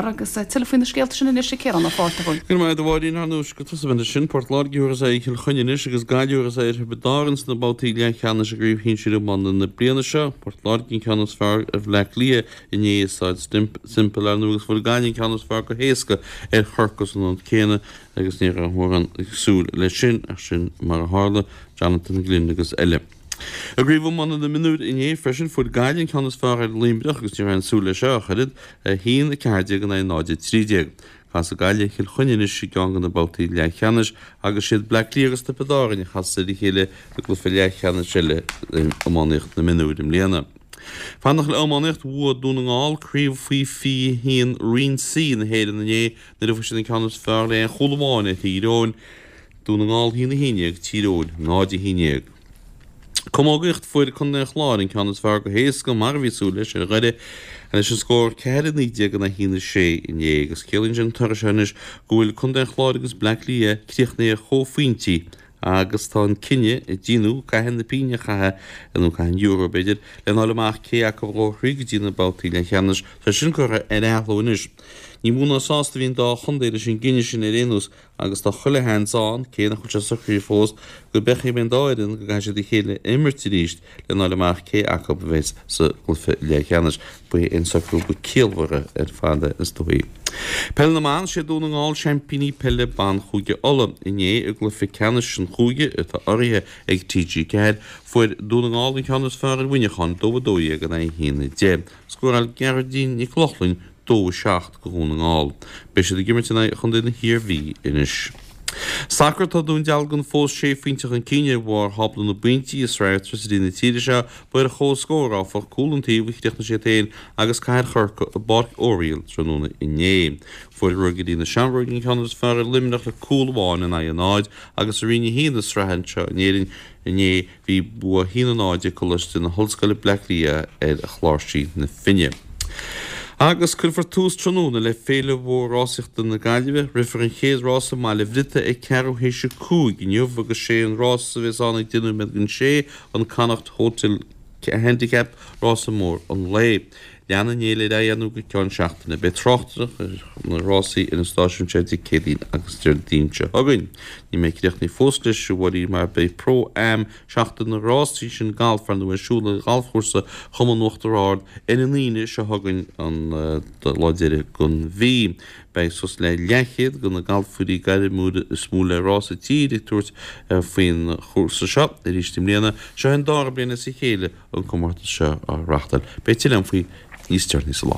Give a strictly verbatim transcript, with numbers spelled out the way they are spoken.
fearr agus tuilleadh faoi na scéalta sin anois ag Ciarán Ó Fátharta. Go raibh maith agat a Mháirín ar nós go tosóimid sin Port Láirge a thabharfas aghaidh ar Chill Chainnigh anois agus Gaillimh a thabharfas aghaidh ar Thiobraid Árann sna babhtaí leathcheannais i gcraobh shinsir iomána na bliana seo. Port Láirge an ceann is fearr ar Bhleá Cliath inné i Staid Semple ar ndóigh agus fuair Gaillimh an ceann is fearr go héasca ar Chorcaigh san ionad céanna agus ní raibh mórán ag súil leis sin ach sin mar a tharla, Jonathan Glynn agus eile. I gcraobh iomána na mionúr inné freisin fuair Gaillimh an ceann is fearr ar Luimneach agus ní raibh aon súil leis seo ach oiread, a haon a ceathair déag in aghaidh náid a trí déag. Casfaidh Gaillimh ar Chill Chainnigh anois i gceann de na babhtaí leathcheannais agus siad Bleá Cliath agus Tiobraid Árann a chasfas ar a chéile i gcluiche leathcheannais eile in iománaíocht na mionúr i mbliana. Fanacht le iománaíocht, bhuaigh Dún na nGall craobh faoi fiche a haon Roinn C na hÉireann inné nuair a fuair siad an ceann is fearr le aon chúl amháin ar Thír Eoghain. Dún na nGall a haon a haon déag, Tír Eoghain náid a haon déag. Camógaíocht, Fuair Contae an Chláir an ceann is fearr go héasca, mar a bhí súil leis, ar Dhoire leis an scór ceathair a naoi déag in aghaidh a haon a sé inné agus ciallaíonn sé an toradh seo anois go bhfuil Contae an Chláir agus Bleá Cliath críochnaithe ar chomhphointí agus tá an cinneadh ag déanamh, caithfidh na pingin a chaitheamh, nó caithfidh an euro b'fhéidir, lena fháil amach cé acu a ghabhfaidh thríd go dtí na babhtaí leathcheannais. Tá sin curtha ar athló anois. Ní mó ná sásta a bhí an dá chontae leis an gcinneadh sin ar aon nós agus tá chuile sheans ann, cé nach bhfuil sé socraithe fós, go bhfeicfidh an dá fhoireann go gcaithfidh siad a chéile a imirt arís lena fháil amach cé acu a bheas sa gcluiche leathcheannais. Ba é an socrú ba ciallmhaire ar fad é, is dóigh. Peil na mBan, Sé Dún na nGall seaimpíní peile ban Chúige Uladh. Inné i gcluiche ceannais an chúige, atá urraithe ag T G ceathair, fuair Dún na nGall an ceann is fearr ar Mhuineachán, dó a dó dhéag in aghaidh a haon a deich. Scóráil Gearóidín Nic Lochlainn dó a seacht do Dhún na nGall. Beidh siad ag imirt in aghaidh chontae na hIarmhí anois. Sacar Tá Dún Dealgan fós sé phointe chun cinn ar bharr thábla na bpointí i Sraith Airtricity na tíre seo. Ba ar chomhscór, áfach, cúl an taobh a chríochnaigh siad féin agus Cathair Chorcaí i bPáirc Oriel tráthnóna inné. Fuair Ruagairí na Seamróige an ceann is fearr ar Luimneach le cúl amháin in aghaidh a náid agus i Roinn a haon na sraithe anseo in Éirinn inné bhí bua a haon a náid ag Coláiste na hOllscoile Bleá Cliath ar Chláirsigh na Finne. Agus cuirfear tús tráthnóna le Féile Mhór Rásaíochta na Gaillimhe. Rithfear an chéad rás i mBaile Bhriotaigh ag ceathrú théis a cúig inniu agus sé an rás a bheas ann ag deich nóiméad don sé, an Connacht Hotel Handicap, rása mór an lae. Leanfaidh an fhéile ar aghaidh ar ndóigh go ceann seachtaine. Beidh tráchtaireacht ar na rásaí ar an stáisiún seo Dé Céadaoin agus Déardaoin seo chugainn. Níl mé críochnaithe fós leis, a Mháirín, mar beidh Pro Am Seachtain na Rásaí sin galf ar ndóigh ar siúl ar ghalfchúrsa Chumann Uachtar Ard ar an Aoine seo chugainn an lá deiridh den mhí. Beidh suas le leathchéad de na galfóirí gairmiúla is mó le rá sa tír ag tabhairt faoin chúrsa seo arís i mbliana. Seo an dara bliain as a chéile an comórtas seo á reáchtáil. Beidh tuilleadh faoi níos deireanaí sa lá.